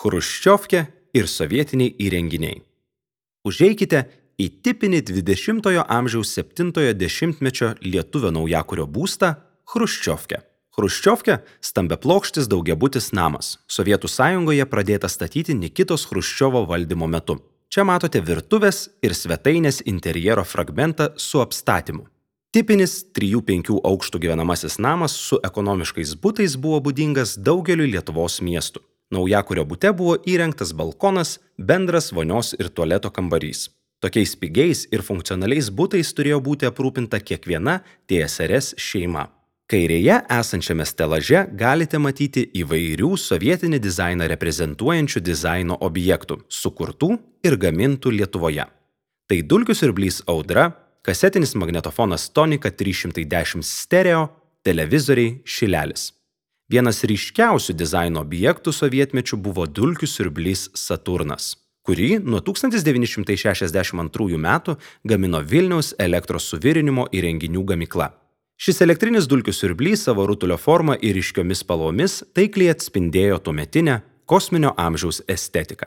chruščiovkė ir sovietiniai įrenginiai. Užeikite į tipinį 20-ojo amžiaus 7-ojo dešimtmečio lietuvio naujakurio būstą Chruščiovkę. Chruščiovkė – stambiaplokštis daugiabutis namas. Sovietų Sąjungoje pradėta statyti Nikitos Chruščiovo valdymo metu. Čia matote virtuvės ir svetainės interjero fragmentą su apstatymu. Tipinis 3-5 aukštų gyvenamasis namas su ekonomiškais butais buvo būdingas daugeliui Lietuvos miestų. Naujakurio bute buvo įrengtas balkonas, bendras vonios ir tualeto kambarys. Tokiais pigiais ir funkcionaliais butais turėjo būti aprūpinta kiekviena TSRS šeima. Kairėje esančiame stelaže galite matyti įvairių sovietinį dizainą reprezentuojančių dizaino objektų, sukurtų ir gamintų Lietuvoje. Tai dulkių siurblys Audra, kasetinis magnetofonas Tonika 310 stereo, televizoriai Šilelis. Vienas ryškiausių dizaino objektų sovietmečių buvo dulkių siurblys Saturnas, kurį nuo 1962 metų gamino Vilniaus elektros suvirinimo įrenginių gamykla. Šis elektrinis dulkių siurblys savo rutulio forma ir ryškiomis spalvomis taikliai atspindėjo tuometinę kosminio amžiaus estetiką.